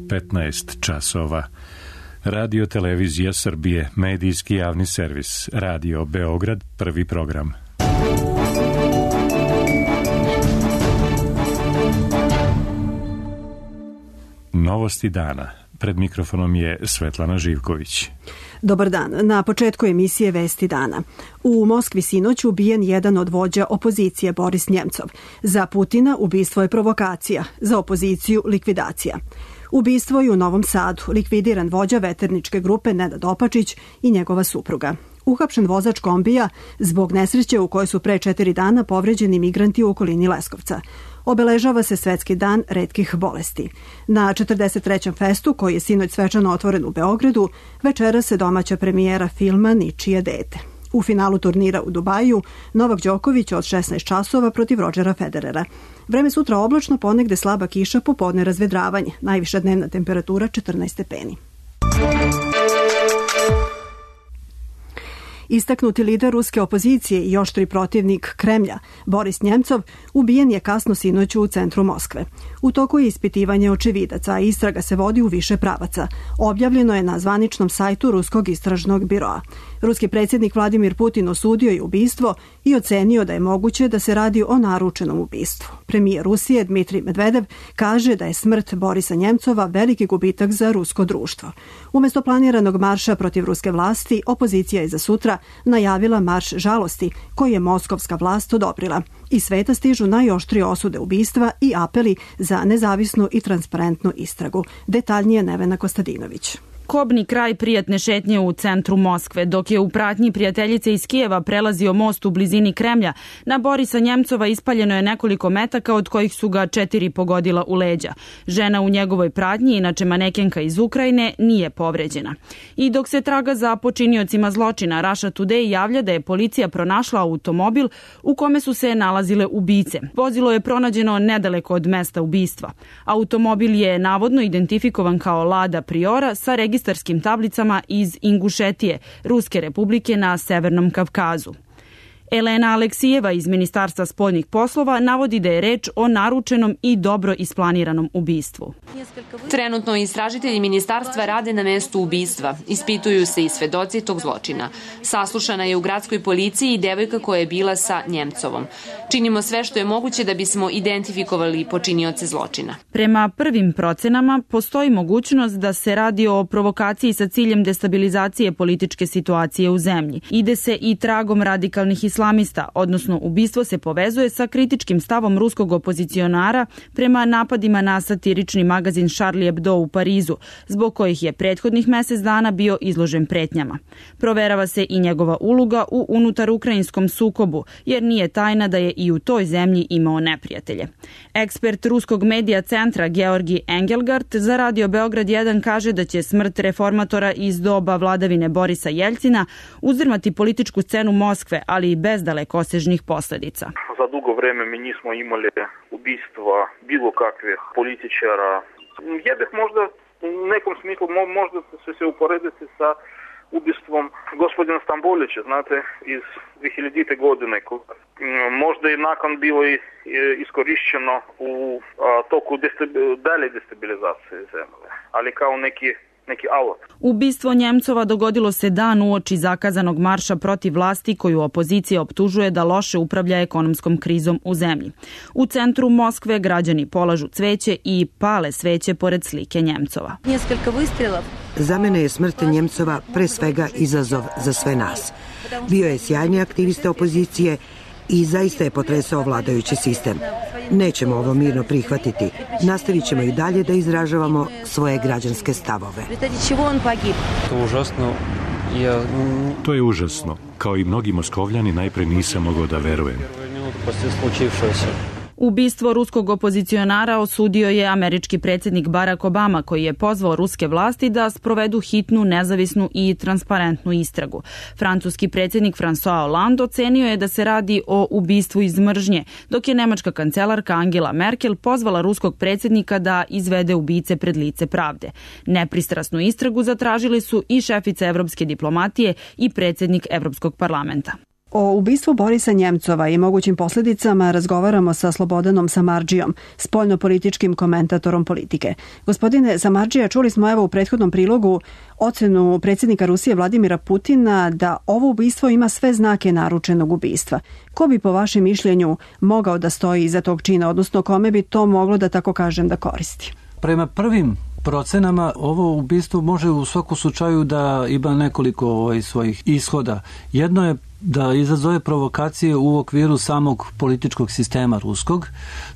15 časova. Radio Televizija Srbije, medijski javni servis, Radio Beograd, prvi program. Novosti dana. Pred mikrofonom je Svetlana Živković. Dobar dan. Na početku emisije Vesti dana. U Moskvi sinoć ubijen jedan od vođa opozicije, Boris Njemcov. Za Putina ubistvo je provokacija, za opoziciju likvidacija. Ubistvo je u Novom Sadu, likvidiran vođa veterničke grupe Nenad Opačić i njegova supruga. Uhapšen vozač kombija zbog nesreće u kojoj su pre 4 dana povređeni migranti u okolini Leskovca. Obeležava se Svetski dan retkih bolesti. Na 43. festu, koji je sinoć svečano otvoren u Beogradu, večera se domaća premijera filma Ničije dete. U finalu turnira u Dubaju Novak Đoković od 16 časova protiv Rodžera Federera. Vreme sutra oblačno, ponegde slaba kiša, popodne razvedravanje. Najviša dnevna temperatura 14 stepeni. Istaknuti lider ruske opozicije i oštri protivnik Kremlja, Boris Njemcov, ubijen je kasno sinoć u centru Moskve. U toku je ispitivanje očevidaca, a istraga se vodi u više pravaca. Objavljeno je na zvaničnom sajtu Ruskog istražnog biroa. Ruski predsjednik Vladimir Putin osudio je ubistvo i ocenio da je moguće da se radi o naručenom ubistvu. Premijer Rusije Dmitrij Medvedev kaže da je smrt Borisa Njemcova veliki gubitak za rusko društvo. Umjesto planiranog marša protiv ruske vlasti, opozicija je za sutra najavila marš žalosti koji je moskovska vlast odobrila. Iz sveta stižu najoštrije osude ubistva i apeli za nezavisnu i transparentnu istragu. Detaljnije Nevena Kostadinović. Kobni kraj prijatne šetnje u centru Moskve, dok je u pratnji prijateljice iz Kijeva prelazio most u blizini Kremlja, na Borisa Njemcova ispaljeno je nekoliko metaka, od kojih su ga 4 pogodila u leđa. Žena u njegovoj pratnji, inače manekenka iz Ukrajine, nije povređena. I dok se traga za počiniocima zločina, Russia Today javlja da je policija pronašla automobil u kome su se nalazile ubice. Vozilo je pronađeno nedaleko od mesta ubistva. Automobil je navodno identifikovan kao Lada Priora sa registarskim tablicama iz Ingušetije, Ruske republike na Severnom Kavkazu. Elena Aleksijeva iz Ministarstva spoljnih poslova navodi da je reč o naručenom i dobro isplaniranom ubistvu. Trenutno istražitelji ministarstva rade na mestu ubistva. Ispituju se i svedoci tog zločina. Saslušana je u gradskoj policiji i devojka koja je bila sa Njemcovom. Činimo sve što je moguće da bismo identifikovali počinioce zločina. Prema prvim procenama postoji mogućnost da se radi o provokaciji sa ciljem destabilizacije političke situacije u zemlji. Ide se i tragom radikalnih islamista, odnosno ubistvo se povezuje sa kritičkim stavom ruskog opozicionara prema napadima na satirični magazin Charlie Hebdo u Parizu, zbog kojih je prethodnih mjesec dana bio izložen pretnjama. Proverava se i njegova uloga u unutar ukrajinskom sukobu, jer nije tajna da je i u toj zemlji imao neprijatelje. Ekspert ruskog medija centra Georgi Engelgard za Radio Beograd 1 kaže da će smrt reformatora iz doba vladavine Borisa Jeljcina uzdrmati političku scenu Moskve, ali i bez dalekosežnih posljedica. Za dugo vreme mi nismo imali ubistva bilo kakvih političara. Ja bih možda u nekom smislu možda se uporediti sa ubistvom gospodina Stambolića, znate, iz 2000. godine. Možda i nakon bilo iskorišćeno u toku dalje destabilizacije zemlje, ali kao neki alat. Ubistvo Njemcova dogodilo se dan uoči zakazanog marša protiv vlasti koju opozicija optužuje da loše upravlja ekonomskom krizom u zemlji. U centru Moskve građani polažu cveće i pale sveće pored slike Njemcova. Za mene je smrt Njemcova pre svega izazov za sve nas. Bio je sjajni aktivista opozicije i zaista je potresao vladajući sistem. Nećemo ovo mirno prihvatiti. Nastavit ćemo i dalje da izražavamo svoje građanske stavove. To je užasno. Kao i mnogi Moskovljani, najpre nisam mogao da verujem. Ubistvo ruskog opozicionara osudio je američki predsjednik Barack Obama, koji je pozvao ruske vlasti da sprovedu hitnu, nezavisnu i transparentnu istragu. Francuski predsjednik François Hollande ocenio je da se radi o ubistvu iz mržnje, dok je nemačka kancelarka Angela Merkel pozvala ruskog predsjednika da izvede ubice pred lice pravde. Nepristrasnu istragu zatražili su i šefica evropske diplomatije i predsjednik Evropskog parlamenta. O ubistvu Borisa Njemcova i mogućim posljedicama razgovaramo sa Slobodanom Samardžijom, spoljnopolitičkim komentatorom politike. Gospodine Samardžija, čuli smo evo u prethodnom prilogu ocenu predsjednika Rusije Vladimira Putina da ovo ubistvo ima sve znake naručenog ubistva. Ko bi po vašem mišljenju mogao da stoji iza tog čina, odnosno kome bi to moglo, da tako kažem, da koristi? Prema prvim procenama ovo ubistvo može u svakom slučaju da ima nekoliko svojih ishoda. Jedno je da izazove provokacije u okviru samog političkog sistema ruskog.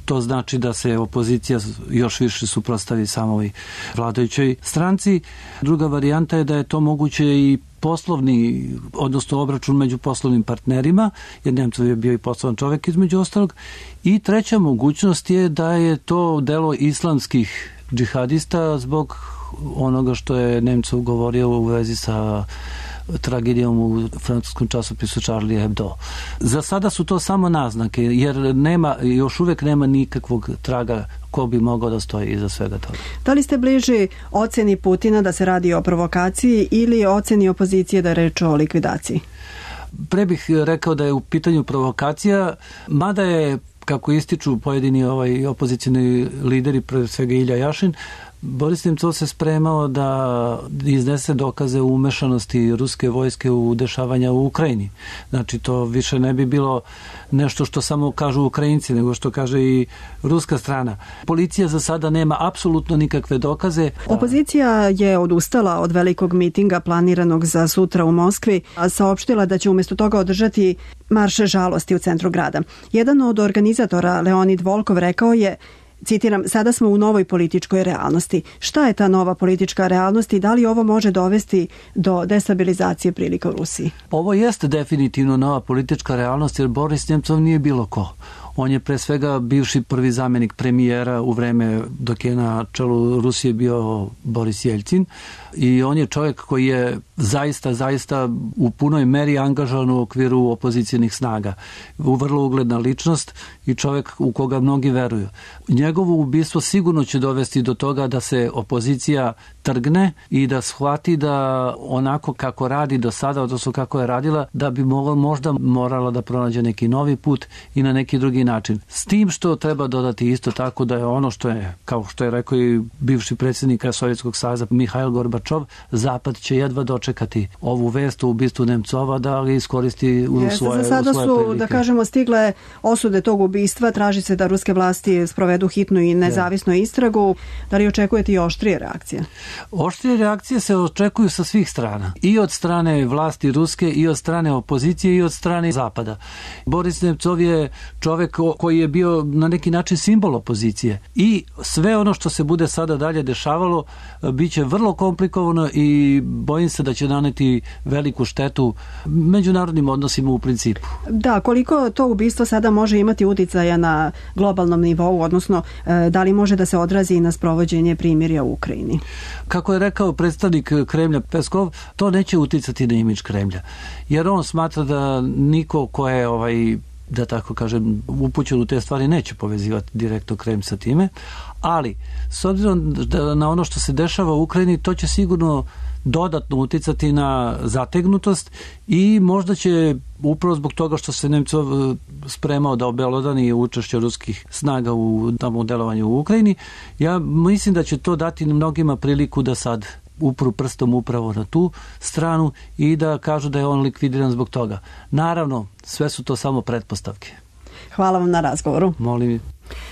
To znači da se opozicija još više suprotstavi samoj vladajućoj stranci. Druga varijanta je da je to moguće i poslovni, odnosno obračun među poslovnim partnerima, jer Njemcov je bio i poslovan čovjek između ostalog. I treća mogućnost je da je to delo islamskih džihadista zbog onoga što je Nemcov govorio u vezi sa tragedijom u francuskom časopisu Charlie Hebdo. Za sada su to samo naznake, jer još uvijek nema nikakvog traga ko bi mogao da stoji iza svega toga. Da li ste bliži oceni Putina da se radi o provokaciji ili oceni opozicije da je reč o likvidaciji? Pre bih rekao da je u pitanju provokacija, mada je, kako ističu pojedini opozicijni lideri, pre svega Ilja Jašin, Boris Nemcov se spremao da iznese dokaze o umešanosti ruske vojske u dešavanja u Ukrajini. Znači, to više ne bi bilo nešto što samo kažu Ukrajinci, nego što kaže i ruska strana. Policija za sada nema apsolutno nikakve dokaze. Opozicija je odustala od velikog mitinga planiranog za sutra u Moskvi, a saopštila da će umjesto toga održati marš žalosti u centru grada. Jedan od organizatora, Leonid Volkov, rekao je, citiram, sada smo u novoj političkoj realnosti. Šta je ta nova politička realnost i da li ovo može dovesti do destabilizacije prilika u Rusiji? Ovo jeste definitivno nova politička realnost, jer Boris Njemcov nije bilo ko. On je pre svega bivši prvi zamjenik premijera u vreme dok je na čelu Rusije bio Boris Jeljcin i on je čovjek koji je zaista u punoj meri angažovan u okviru opozicijnih snaga. Vrlo ugledna ličnost i čovjek u koga mnogi veruju. Njegovo ubistvo sigurno će dovesti do toga da se opozicija trgne i da shvati da onako kako radi do sada, odnosno kako je radila, da bi možda morala da pronađe neki novi put i na neki drugi način. S tim što treba dodati isto tako da je ono što je, kao što je rekao i bivši predsjednik Sovjetskog saveza Mihail Gorbačov, Zapad će jedva dočekati ovu vest o ubistvu Nemcova da ga iskoristi u svoje Za sada su, prilike. da kažemo, stigle osude tog ubistva, traži se da ruske vlasti sprovedu hitnu i nezavisnu istragu. Da li očekujete i oštrije reakcije? Oštrije reakcije se očekuju sa svih strana. I od strane vlasti ruske, i od strane opozicije, i od strane Zapada. Boris Nemcov je čovjek koji je bio na neki način simbol opozicije. I sve ono što se bude sada dalje dešavalo bit će vrlo komplikovano i bojim se da će naneti veliku štetu međunarodnim odnosima u principu. Da, koliko to ubistvo sada može imati uticaja na globalnom nivou, odnosno da li može da se odrazi i na sprovođenje primirja u Ukrajini? Kako je rekao predstavnik Kremlja Peskov, to neće uticati na imidž Kremlja. Jer on smatra da niko ko je da tako kažem, upućen u te stvari neće povezivati direktno Kremlj sa time, ali s obzirom na ono što se dešava u Ukrajini, to će sigurno dodatno uticati na zategnutost i možda će upravo zbog toga što se Nemcov spremao da obelodani učešće ruskih snaga u delovanju u Ukrajini, ja mislim da će to dati mnogima priliku da sad upru prstom upravo na tu stranu i da kažu da je on likvidiran zbog toga. Naravno, sve su to samo pretpostavke. Hvala vam na razgovoru. Molim.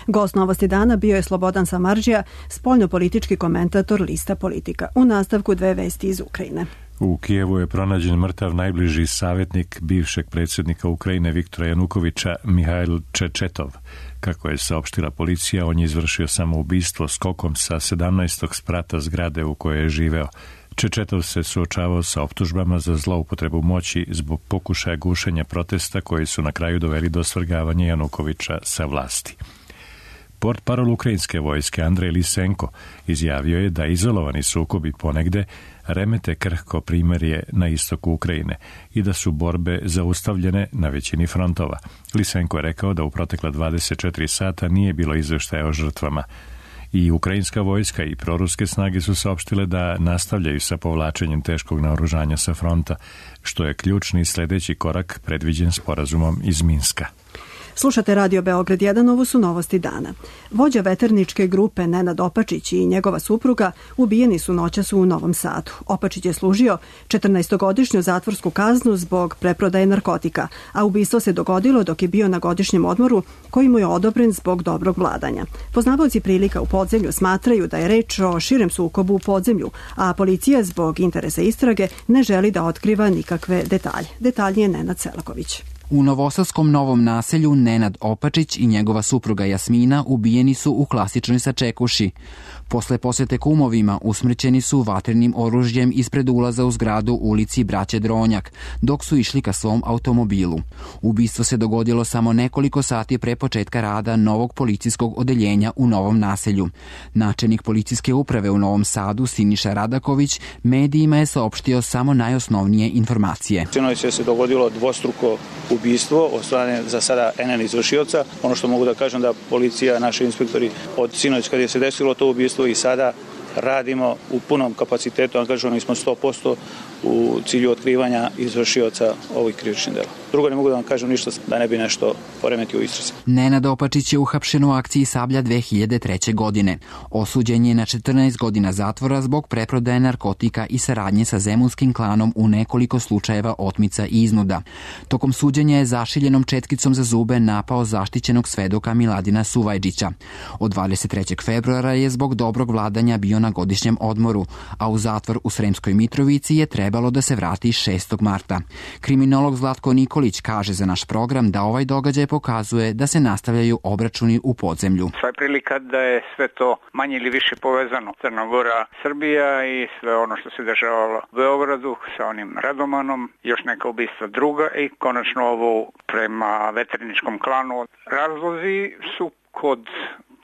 Gost Novosti dana bio je Slobodan Samardžija, spoljnopolitički komentator Lista Politika. U nastavku dve vesti iz Ukrajine. U Kijevu je pronađen mrtav najbliži savjetnik bivšeg predsjednika Ukrajine Viktora Janukovića, Mihail Čečetov. Kako je saopštila policija, on je izvršio samoubistvo skokom sa 17. sprata zgrade u kojoj je živeo. Čečetov se suočavao sa optužbama za zloupotrebu moći zbog pokušaja gušenja protesta koji su na kraju doveli do svrgavanja Janukovića sa vlasti. Portparol ukrajinske vojske Andrej Lisenko izjavio je da izolovani sukobi ponegde remete krhko primirje na istoku Ukrajine i da su borbe zaustavljene na većini frontova. Lisenko je rekao da u protekla 24 sata nije bilo izveštaja o žrtvama. I ukrajinska vojska i proruske snage su saopštile da nastavljaju sa povlačenjem teškog naoružanja sa fronta, što je ključni sledeći korak predviđen sporazumom iz Minska. Slušate Radio Beograd 1, ovo su novosti dana. Vođa veterničke grupe Nenad Opačić i njegova supruga ubijeni su noćas u Novom Sadu. Opačić je služio 14-godišnju zatvorsku kaznu zbog preprodaje narkotika, a ubistvo se dogodilo dok je bio na godišnjem odmoru koji mu je odobren zbog dobrog vladanja. Poznavaoci prilika u podzemlju smatraju da je reč o širem sukobu u podzemlju, a policija zbog interesa istrage ne želi da otkriva nikakve detalje. Detaljnije Nenad Selaković. U novosadskom Novom naselju Nenad Opačić i njegova supruga Jasmina ubijeni su u klasičnoj sačekuši. Posle posete kumovima usmrćeni su vatrenim oružjem ispred ulaza u zgradu ulici Braće Dronjak, dok su išli ka svom automobilu. Ubistvo se dogodilo samo nekoliko sati pre početka rada novog policijskog odeljenja u Novom naselju. Načelnik policijske uprave u Novom Sadu, Siniša Radaković, medijima je saopštio samo najosnovnije informacije. Sinoć se dogodilo dvostruko ubistvo od strane za sada NN izvršioca. Ono što mogu da kažem da policija, naši inspektori od sinoć kad je se desilo to ubistvo i sada radimo u punom kapacitetu, angažovani smo 100% u cilju otkrivanja izvršioca ovih krivičnih dela. Drugo ne mogu da vam kažem ništa da ne bi nešto poremetio u istrazi. Nenad Opačić je uhapšen u akciji Sablja 2003. godine. Osuđen je na 14 godina zatvora zbog preprodaje narkotika i saradnje sa zemunskim klanom u nekoliko slučajeva otmica i iznuda. Tokom suđenja je zašiljenom četkicom za zube napao zaštićenog svedoka Miladina Suvajđića. Od 23. februara je zbog dobrog vladanja bio na godišnjem odmoru, a u zatvor u Sremskoj Mitrovici je trebalo da se vrati 6. marta. Kriminolog Zlatko Nikolić kaže za naš program da ovaj događaj pokazuje da se nastavljaju obračuni u podzemlju. Sva je prilika da je sve to manje ili više povezano. Crna Gora, Srbija i sve ono što se dešavalo u Beogradu sa onim Radomanom, još neka ubistva druga i konačno ovo prema veterničkom klanu. Razlozi su kod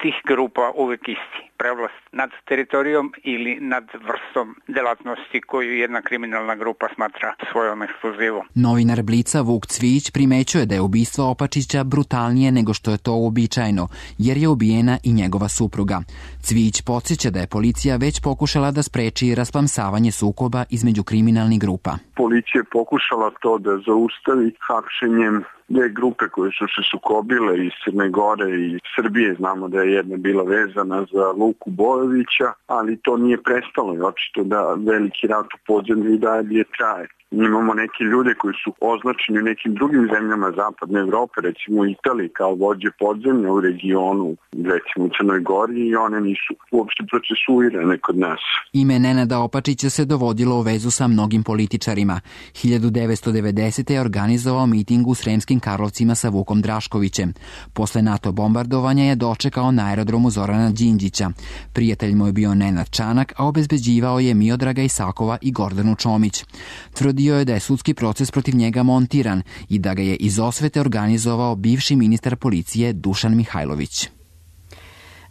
tih grupa uvek isti. Prevlast nad teritorijom ili nad vrstom delatnosti koju jedna kriminalna grupa smatra svojom ekskluzivom. Novinar Blica Vuk Cvijić primećuje da je ubistvo Opačića brutalnije nego što je to uobičajeno, jer je ubijena i njegova supruga. Cvijić podsjeća da je policija već pokušala da spreči rasplamsavanje sukoba između kriminalnih grupa. Policija je pokušala to da zaustavi hapšenjem dve grupe koje su se sukobile iz Crne Gore i Srbije. Znamo da je jedna bila vezana za Luku Bojovića, ali to nije prestalo i očito da veliki rat u podzemlju i dalje traje. Imamo neke ljude koji su označeni u nekim drugim zemljama zapadne Evrope, recimo u Italiji, kao vođe podzemlja u regionu, recimo u Crnoj Gori, i one nisu uopšte procesuirane kod nas. Ime Nenada Opačića se dovodilo u vezu sa mnogim političarima. 1990. je organizovao miting u Sremskim Karlovcima sa Vukom Draškovićem. Posle NATO bombardovanja je dočekao na aerodromu Zorana Đinđića. Prijatelj mu je bio Nenad Čanak, a obezbeđivao je Miodraga Isakova i Gordanu Čomić. Tvrdio je da je sudski proces protiv njega montiran i da ga je iz osvete organizovao bivši ministar policije Dušan Mihajlović.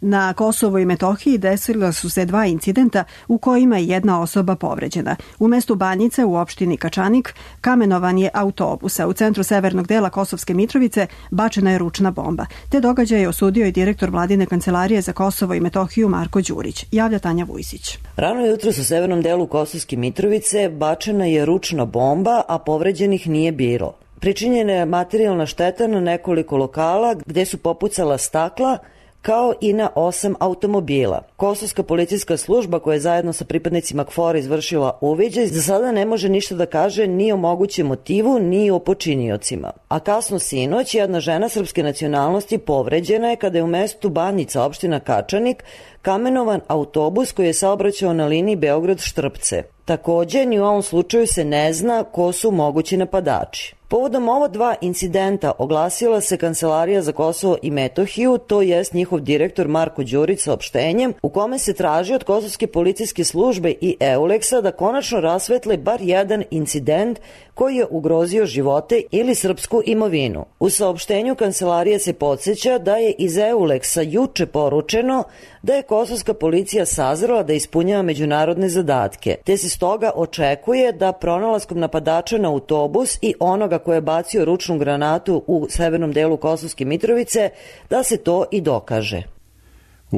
Na Kosovu i Metohiji desila su se dva incidenta u kojima je jedna osoba povređena. U mestu Banjice u opštini Kačanik kamenovan je autobus, a u centru severnog dela Kosovske Mitrovice bačena je ručna bomba. Te događaje je osudio i direktor Vladine kancelarije za Kosovo i Metohiju Marko Đurić. Javlja Tanja Vujsić. Rano jutro u severnom delu Kosovske Mitrovice bačena je ručna bomba, a povređenih nije bilo. Pričinjena je materijalna šteta na nekoliko lokala gde su popucala stakla, kao i na 8 automobila. Kosovska policijska služba, koja je zajedno sa pripadnicima KFOR izvršila uviđaj, za sada ne može ništa da kaže ni o mogućem motivu, ni o počiniocima. A kasno sinoć jedna žena srpske nacionalnosti povređena je kada je u mestu Banjica, opština Kačanik, kamenovan autobus koji je saobraćao na liniji Beograd-Štrpce. Takođe, ni u ovom slučaju se ne zna ko su mogući napadači. Povodom ova dva incidenta oglasila se Kancelarija za Kosovo i Metohiju, to jest njihov direktor Marko Đurić saopštenjem u kome se traži od Kosovske policijske službe i EULEX-a da konačno rasvetle bar jedan incident koji je ugrozio živote ili srpsku imovinu. U saopštenju Kancelarije se podsjeća da je iz EULEX-a juče poručeno da je kosovska policija sazrela da ispunjava međunarodne zadatke, te se stoga očekuje da pronalaskom napadača na autobus i onoga ko je bacio ručnu granatu u severnom delu Kosovske Mitrovice, da se to i dokaže.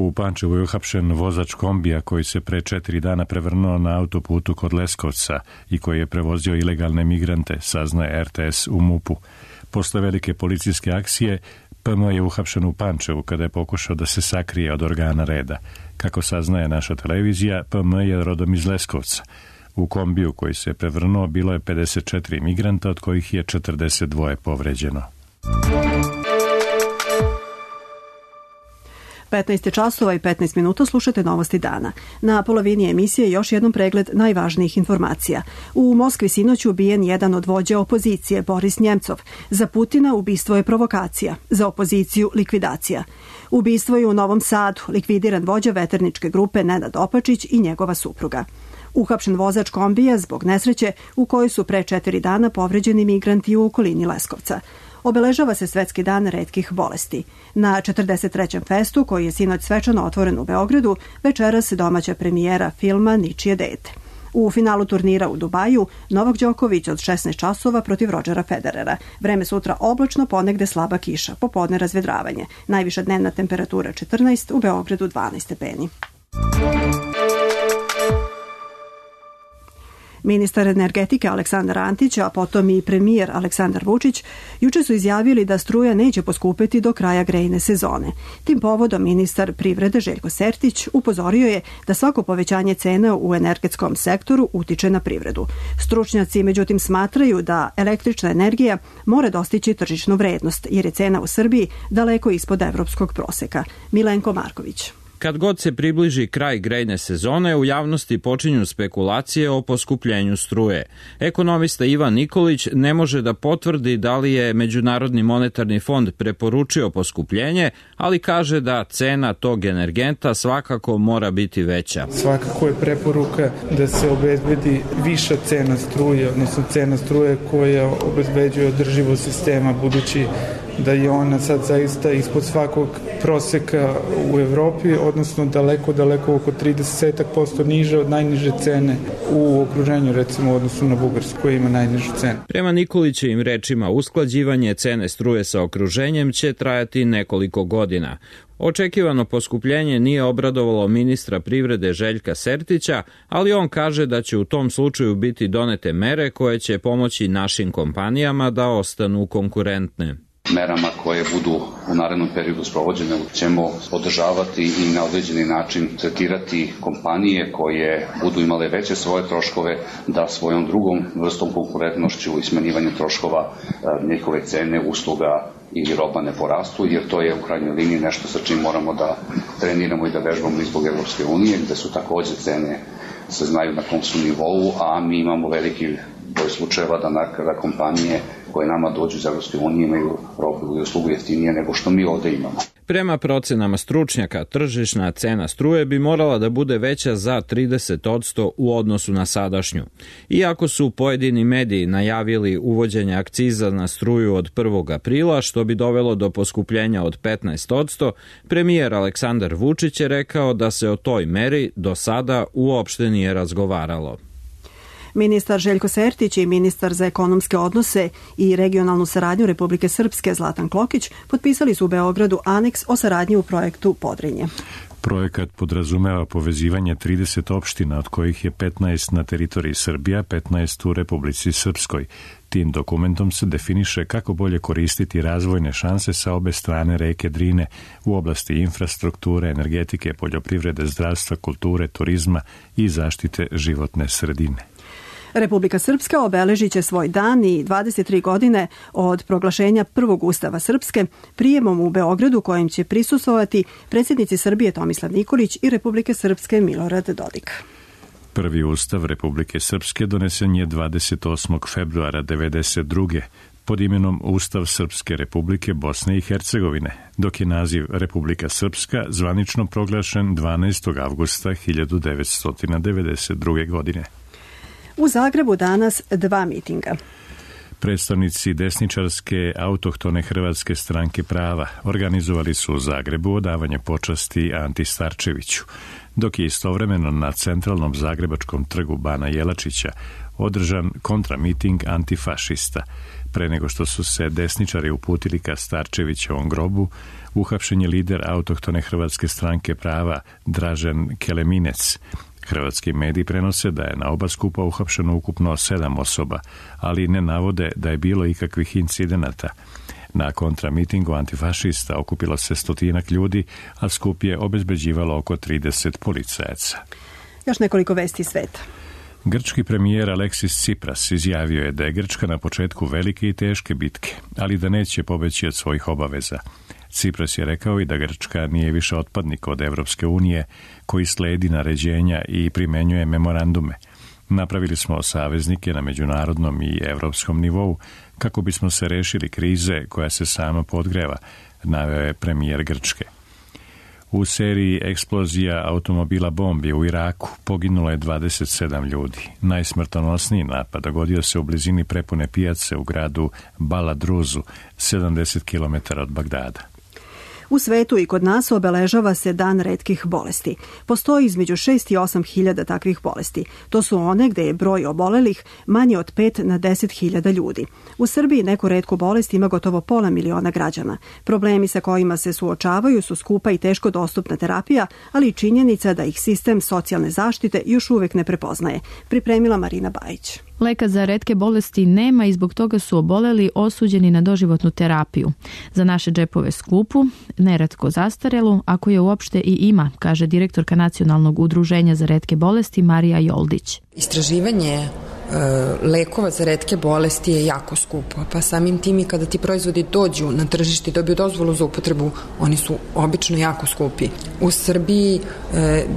U Pančevu je uhapšen vozač kombija koji se pre 4 dana prevrnuo na autoputu kod Leskovca i koji je prevozio ilegalne migrante, saznaje RTS u MUP-u. Posle velike policijske akcije, PM je uhapšen u Pančevu kada je pokušao da se sakrije od organa reda. Kako saznaje naša televizija, PM je rodom iz Leskovca. U kombiju koji se je prevrnuo bilo je 54 migranta, od kojih je 42 povređeno. 15 časova i 15 minuta, slušate Novosti dana. Na polovini emisije još jednom pregled najvažnijih informacija. U Moskvi sinoć ubijen jedan od vođa opozicije, Boris Njemcov. Za Putina ubistvo je provokacija, za opoziciju likvidacija. Ubistvo je u Novom Sadu, likvidiran vođa veterničke grupe Nenad Opačić i njegova supruga. Uhapšen vozač kombija zbog nesreće u kojoj su pre 4 dana povređeni migranti u okolini Leskovca. Obeležava se Svetski dan retkih bolesti. Na 43. festu, koji je sinoć svečano otvoren u Beogradu, večeras domaća premijera filma Ničije dete. U finalu turnira u Dubaju Novak Đoković od 16 časova protiv Rodžera Federera. Vreme sutra oblačno, ponegde slaba kiša, popodne razvedravanje. Najviša dnevna temperatura 14, u Beogradu 12 stepeni. Ministar energetike Aleksandar Antić, a potom i premijer Aleksandar Vučić, juče su izjavili da struja neće poskupeti do kraja grejne sezone. Tim povodom ministar privrede Željko Sertić upozorio je da svako povećanje cena u energetskom sektoru utiče na privredu. Stručnjaci međutim smatraju da električna energija mora dostići tržišnu vrednost, jer je cena u Srbiji daleko ispod evropskog proseka. Milenko Marković. Kad god se približi kraj grejne sezone, u javnosti počinju spekulacije o poskupljenju struje. Ekonomista Ivan Nikolić ne može da potvrdi da li je Međunarodni monetarni fond preporučio poskupljenje, ali kaže da cena tog energenta svakako mora biti veća. Svakako je preporuka da se obezbedi viša cena struje, odnosno cena struje koja obezbeđuje održivost sistema, budući da je ona sad zaista ispod svakog proseka u Evropi, odnosno daleko oko 30% niže od najniže cene u okruženju, recimo u odnosu na Bugarsku koja ima najnižu cenu. Prema Nikolićevim rečima, usklađivanje cene struje sa okruženjem će trajati nekoliko godina. Očekivano poskupljenje nije obradovalo ministra privrede Željka Sertića, ali on kaže da će u tom slučaju biti donete mere koje će pomoći našim kompanijama da ostanu konkurentne. Merama koje budu u narednom periodu sprovođene ćemo podržavati i na određeni način tretirati kompanije koje budu imale veće svoje troškove da svojom drugom vrstom konkurentnošću i smanjivanjem troškova njihove cene, usluga ili roba ne porastu, jer to je u krajnjoj liniji nešto sa čim moramo da treniramo i da vežbamo izbog Evropske unije, gde su takođe cene se znaju na kom su nivou, a mi imamo veliki broj slučajeva da kompanije koje nama dođu iz Evropske unije imaju robu i uslugu jeftinije nego što mi ovde imamo. Prema procenama stručnjaka, tržišna cena struje bi morala da bude veća za 30% u odnosu na sadašnju. Iako su pojedini mediji najavili uvođenje akciza na struju od 1. aprila, što bi dovelo do poskupljenja od 15%, premijer Aleksandar Vučić je rekao da se o toj meri do sada uopšte nije razgovaralo. Ministar Željko Sertić i ministar za ekonomske odnose i regionalnu saradnju Republike Srpske Zlatan Klokić potpisali su u Beogradu aneks o saradnji u projektu Podrinje. Projekat podrazumeva povezivanje 30 opština, od kojih je 15 na teritoriji Srbija, 15 u Republici Srpskoj. Tim dokumentom se definiše kako bolje koristiti razvojne šanse sa obe strane reke Drine u oblasti infrastrukture, energetike, poljoprivrede, zdravstva, kulture, turizma i zaštite životne sredine. Republika Srpska obeležit će svoj dan i 23 godine od proglašenja prvog ustava Srpske prijemom u Beogradu kojim će prisustvovati predsjednici Srbije Tomislav Nikolić i Republike Srpske Milorad Dodik. Prvi ustav Republike Srpske donesen je 28. februara 1992. pod imenom Ustav Srpske Republike Bosne i Hercegovine, dok je naziv Republika Srpska zvanično proglašen 12. avgusta 1992. godine. U Zagrebu danas 2 mitinga. Predstavnici desničarske autohtone Hrvatske stranke prava organizovali su u Zagrebu odavanje počasti Anti Starčeviću, dok je istovremeno na centralnom zagrebačkom trgu Bana Jelačića održan kontramiting antifašista. Pre nego što su se desničari uputili ka Starčevićevom grobu, uhapšen je lider autohtone Hrvatske stranke prava Dražen Keleminec. Hrvatski mediji prenose da je na oba skupa uhapšeno ukupno 7 osoba, ali ne navode da je bilo ikakvih incidenata. Na kontramitingu antifašista okupilo se 100 ljudi, a skup je obezbeđivalo oko 30 policajaca. Još nekoliko vesti sveta. Grčki premijer Aleksis Tsipras izjavio je da je Grčka na početku velike i teške bitke, ali da neće pobeći od svojih obaveza. Tsipras je rekao i da Grčka nije više otpadnik od Evropske unije koji sledi naređenja i primenjuje memorandume. Napravili smo saveznike na međunarodnom i evropskom nivou kako bismo se rešili krize koja se sama podgreva, naveo je premijer Grčke. U seriji eksplozija automobila bombi u Iraku poginulo je 27 ljudi. Najsmrtonosniji napad dogodio se u blizini prepune pijace u gradu Baladruzu, 70 km od Bagdada. U svetu i kod nas obeležava se Dan retkih bolesti. Postoji između 6 i 8 hiljada takvih bolesti. To su one gde je broj obolelih manji od 5 na 10 hiljada ljudi. U Srbiji neku retku bolest ima gotovo 500.000 građana. Problemi sa kojima se suočavaju su skupa i teško dostupna terapija, ali i činjenica da ih sistem socijalne zaštite još uvek ne prepoznaje. Pripremila Marina Bajić. Leka za retke bolesti nema i zbog toga su oboleli osuđeni na doživotnu terapiju. Za naše džepove skupu, neretko zastarelu, ako je uopšte i ima, kaže direktorka Nacionalnog udruženja za retke bolesti Marija Joldić. Istraživanje lekova za retke bolesti je jako skupo, pa samim tim i kada ti proizvodi dođu na tržište i dobiju dozvolu za upotrebu, oni su obično jako skupi. U Srbiji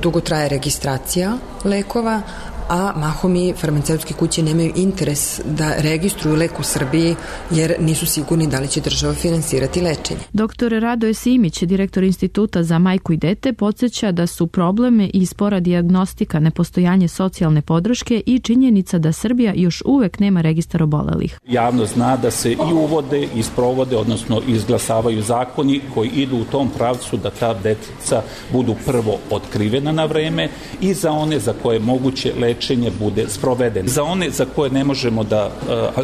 dugo traje registracija lekova, a mahom i farmaceutske kuće nemaju interes da registruju lek u Srbiji jer nisu sigurni da li će država finansirati lečenje. Dr. Radoje Simić, direktor Instituta za majku i dete, podsjeća da su probleme i spora dijagnostika, nepostojanje socijalne podrške i činjenica da Srbija još uvek nema registar obolelih. Javno zna da se i uvode, i sprovode, odnosno izglasavaju zakoni koji idu u tom pravcu da ta deca budu prvo otkrivena na vreme i za one za koje moguće lečenje bude sprovedeno. Za one za koje ne možemo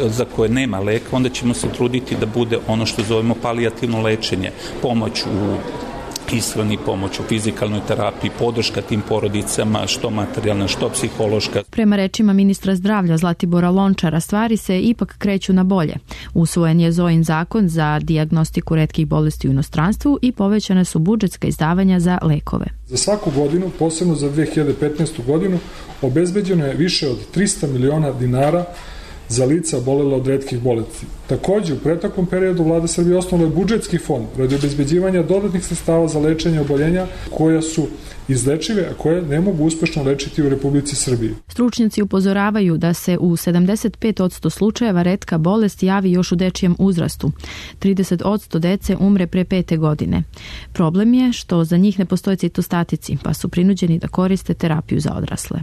za koje nema leka, onda ćemo se truditi da bude ono što zovemo palijativno lečenje, pomoć u ishrani, pomoć u fizikalnoj terapiji, podrška tim porodicama, što materijalna, što psihološka. Prema rečima ministra zdravlja Zlatibora Lončara, stvari se ipak kreću na bolje. Usvojen je Zojin zakon za dijagnostiku retkih bolesti u inostranstvu i povećane su budžetska izdavanja za lekove. Za svaku godinu, posebno za 2015. godinu, obezbeđeno je više od 300 miliona dinara za lica obolela od retkih bolesti. Takođe, u pretaklom periodu vlada Srbije osnovala je budžetski fond radi obezbeđivanja dodatnih sredstava za lečenje oboljenja koja su izlečive, a koje ne mogu uspešno lečiti u Republici Srbiji. Stručnjaci upozoravaju da se u 75% slučajeva retka bolest javi još u dečijem uzrastu. 30% dece umre pre 5. godine. Problem je što za njih ne postoje citostatici, pa su prinuđeni da koriste terapiju za odrasle.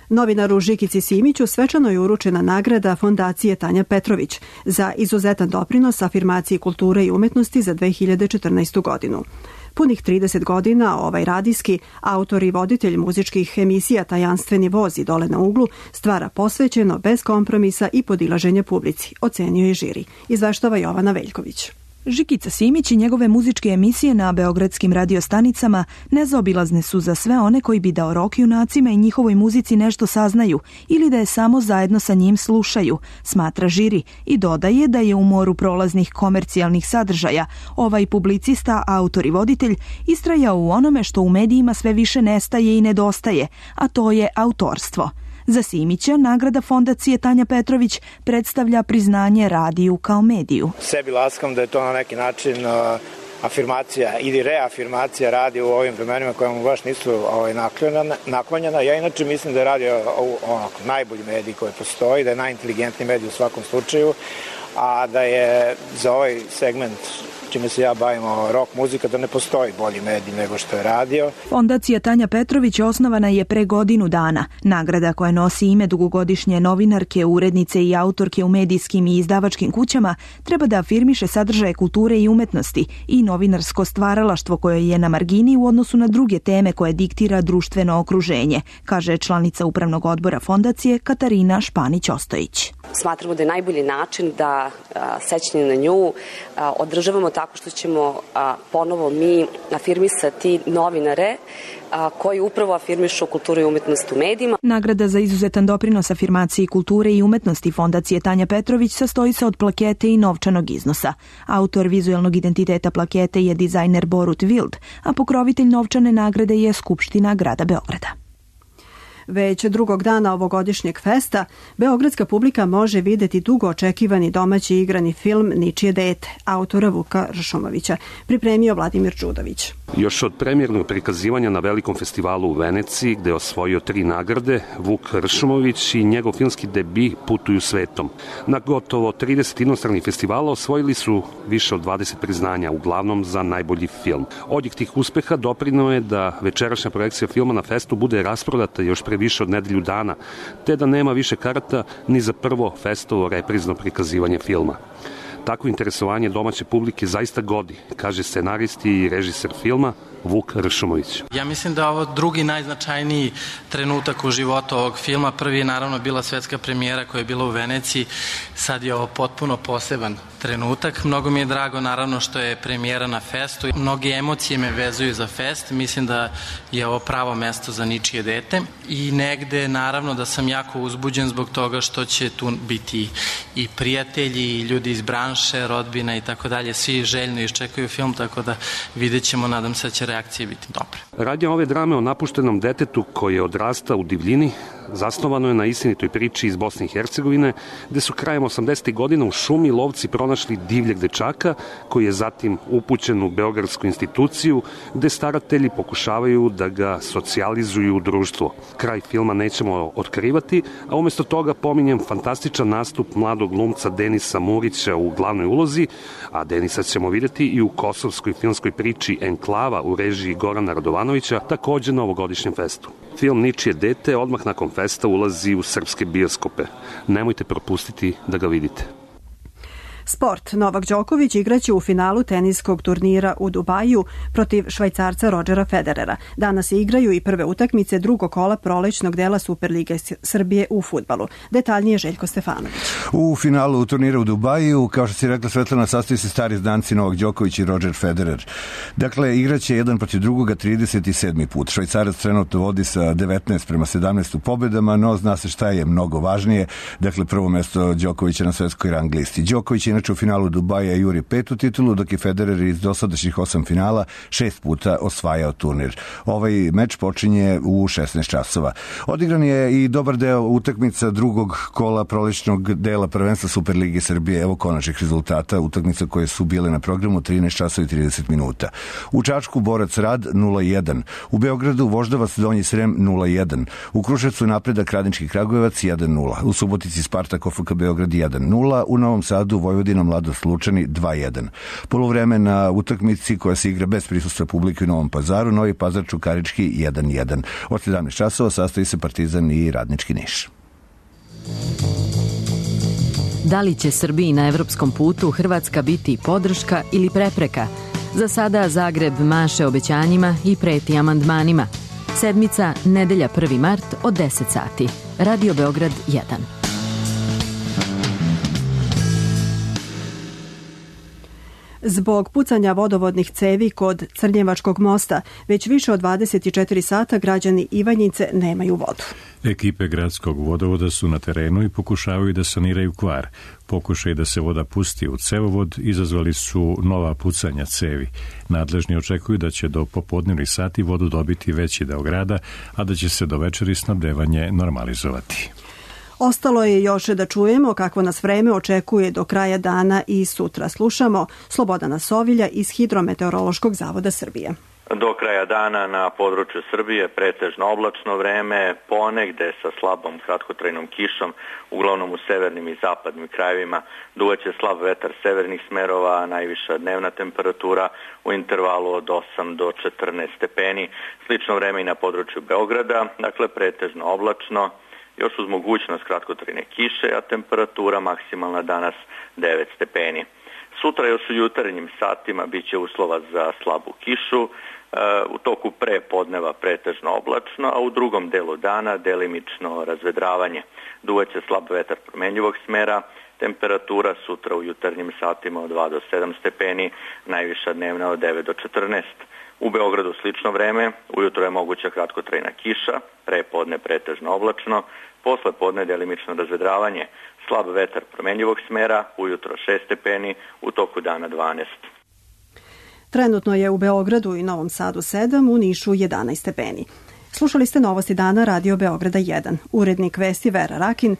Novinaru Žikici Simiću svečano je uručena nagrada Fondacije Tanja Petrović za izuzetan doprinos afirmaciji kulture i umetnosti za 2014. godinu. Punih 30 godina ovaj radijski autor i voditelj muzičkih emisija Tajanstveni voz i Dole na uglu stvara posvećeno, bez kompromisa i podilaženja publici, ocenio je žiri. Izveštava Jovana Veljković. Žikica Simić i njegove muzičke emisije na beogradskim radiostanicama nezaobilazne su za sve one koji bi da o rock junacima i njihovoj muzici nešto saznaju ili da je samo zajedno sa njim slušaju, smatra žiri i dodaje da je u moru prolaznih komercijalnih sadržaja ovaj publicista, autor i voditelj istrajao u onome što u medijima sve više nestaje i nedostaje, a to je autorstvo. Za Simića nagrada Fondacije Tanja Petrović predstavlja priznanje radiju kao mediju. Sebi laskam da je to na neki način afirmacija ili reafirmacija radija u ovim vremenima koja mu baš nisu naklonjena. Ja inače mislim da je radio najbolji medij koji postoji, da je najinteligentniji medij u svakom slučaju, a da je za ovaj segment čime se ja bavim, rock muzika, da ne postoji bolji medij nego što je radio. Fondacija Tanja Petrović osnovana je pre godinu dana. Nagrada koja nosi ime dugogodišnje novinarke, urednice i autorke u medijskim i izdavačkim kućama treba da afirmiše sadržaje kulture i umetnosti i novinarsko stvaralaštvo koje je na margini u odnosu na druge teme koje diktira društveno okruženje, kaže članica upravnog odbora fondacije Katarina Španić-Ostojić. Smatramo da je najbolji način da sećanje na nju održavamo tako što ćemo ponovo mi afirmisati novinare koji upravo afirmišu kulturu i umetnost u medijima. Nagrada za izuzetan doprinos afirmaciji kulture i umetnosti Fondacije Tanja Petrović sastoji se od plakete i novčanog iznosa. Autor vizuelnog identiteta plakete je dizajner Borut Wild, a pokrovitelj novčane nagrade je Skupština grada Beograda. Već drugog dana ovogodišnjeg festa, beogradska publika može videti dugo očekivani domaći igrani film Ničije dete, autora Vuka Ršumovića, pripremio Vladimir Đudović. Još od premijernog prikazivanja na velikom festivalu u Veneciji, gde je osvojio 3 nagrade, Vuk Ršumović i njegov filmski debi putuju svetom. Na gotovo 30 inostranih festivala osvojili su više od 20 priznanja, uglavnom za najbolji film. Odjek tih uspeha doprineo je da večerašnja projekcija filma na festu bude rasprodata još pre više od nedelju dana, te da nema više karata ni za prvo festovo reprizno prikazivanje filma. Takvo interesovanje domaće publike zaista godi, kaže scenaristi i režiser filma Vuk Ršumović. Ja mislim da je ovo drugi najznačajniji trenutak u životu ovog filma. Prvi je naravno bila svetska premijera koja je bila u Veneciji. Sad je ovo potpuno poseban trenutak. Mnogo mi je drago naravno što je premijera na festu. Mnoge emocije me vezuju za fest. Mislim da je ovo pravo mesto za Ničije dete. I negde naravno da sam jako uzbuđen zbog toga što će tu biti i prijatelji i ljudi iz branše, rodbina i tako dalje. Svi željno iščekuju film, tako da vidjet ćemo, nadam se da će reakcije biti dobre. Radnja ove drame o napuštenom detetu koje odrasta u divljini zasnovano je na istinitoj priči iz Bosne i Hercegovine, gde su krajem 80. godina u šumi lovci pronašli divljeg dečaka koji je zatim upućen u beogradsku instituciju gde staratelji pokušavaju da ga socijalizuju u društvo. Kraj filma nećemo otkrivati, a umjesto toga pominjem fantastičan nastup mladog glumca Denisa Murića u glavnoj ulozi, a Denisa ćemo vidjeti i u kosovskoj filmskoj priči Enklava u režiji Gorana Radovanovića, takođe na ovogodišnjem festu. Film Ničije dete odmah nakon festa ulazi u srpske bioskope. Nemojte propustiti da ga vidite. Sport. Novak Đoković igraće u finalu teniskog turnira u Dubaju protiv Švajcarca Rodžera Federera. Danas se igraju i prve utakmice drugog kola prolećnog dela Superlige Srbije u fudbalu. Detaljnije Željko Stefanović. U finalu turnira u Dubaju, kao što si rekla Svetlana, sastoji se stari znanci Novak Đoković i Rodžer Federer. Dakle, igraće jedan protiv drugoga 37. put. Švajcarac trenutno vodi sa 19-17 pobedama, no zna se šta je mnogo važnije. Dakle, prvo mesto Đokovića na svetskoj rang listi. Đoković je inače u finalu Dubaja juri 5. titulu, dok je Federer iz dosadašnjih 8 finala 6 puta osvajao turnir. Ovaj meč počinje u 16 časova. Odigran je i dobar deo utakmica drugog kola prolećnog dela prvenstva Superlige Srbije. Evo konačnih rezultata utakmica koje su bile na programu 13 časova i 30 minuta. U Čačku Borac Rad 0-1. U Beogradu Voždovac Donji Srem 0-1. U Kruševcu Napredak Radnički Kragujevac 1-0. U Subotici Spartak OFK Beograd 1-0. U Novom Sadu Vojvodina Mladost Lučani 2-1. Poluvreme na utakmici koja se igra bez prisustva publike u Novom Pazaru, Novi Pazar Čukarički 1-1. Od 17 časova sastoji se Partizan i Radnički Niš. Da li će Srbiji na evropskom putu Hrvatska biti podrška ili prepreka? Za sada Zagreb maše obećanjima i preti amandmanima. Sedmica, nedelja 1. mart od 10 sati. Radio Beograd 1. Zbog pucanja vodovodnih cevi kod Crnjevačkog mosta, već više od 24 sata građani Ivanjice nemaju vodu. Ekipe gradskog vodovoda su na terenu i pokušavaju da saniraju kvar. Pokušaj da se voda pusti u cevovod izazvali su nova pucanja cevi. Nadležni očekuju da će do popodnevnih sati vodu dobiti veći deo grada, a da će se do večeri snabdevanje normalizovati. Ostalo je još da čujemo kakvo nas vreme očekuje do kraja dana i sutra. Slušamo Slobodana Sovilja iz Hidrometeorološkog zavoda Srbije. Do kraja dana na području Srbije pretežno oblačno vreme, ponegde sa slabom kratkotrajnom kišom, uglavnom u severnim i zapadnim krajevima. Duvaće slab vetar severnih smerova, najviša dnevna temperatura u intervalu od 8 do 14 stepeni. Slično vreme i na području Beograda, dakle pretežno oblačno, još uz mogućnost kratkotrajne kiše, a temperatura maksimalna danas 9 stepeni. Sutra još u jutarnjim satima biće uslova za slabu kišu, u toku pre podneva pretežno oblačno, a u drugom delu dana delimično razvedravanje. Duvaće slab vetar promenljivog smera, temperatura sutra u jutarnjim satima od 2 do 7 stepeni, najviša dnevna od 9 do 14. U Beogradu slično vreme, ujutro je moguća kratkotrajna kiša, pre podne pretežno oblačno, posle podne delimično razvedravanje, slab vetar promenljivog smera, ujutro 6 stepeni, u toku dana 12. Trenutno je u Beogradu i Novom Sadu 7, u Nišu 11 stepeni. Slušali ste Novosti dana Radio Beograda 1. Urednik vesti Vera Rakin,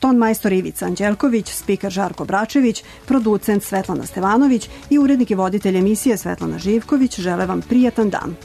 ton majstor Ivica Anđelković, spiker Žarko Bračević, producent Svetlana Stevanović i urednik i voditelj emisije Svetlana Živković žele vam prijatan dan.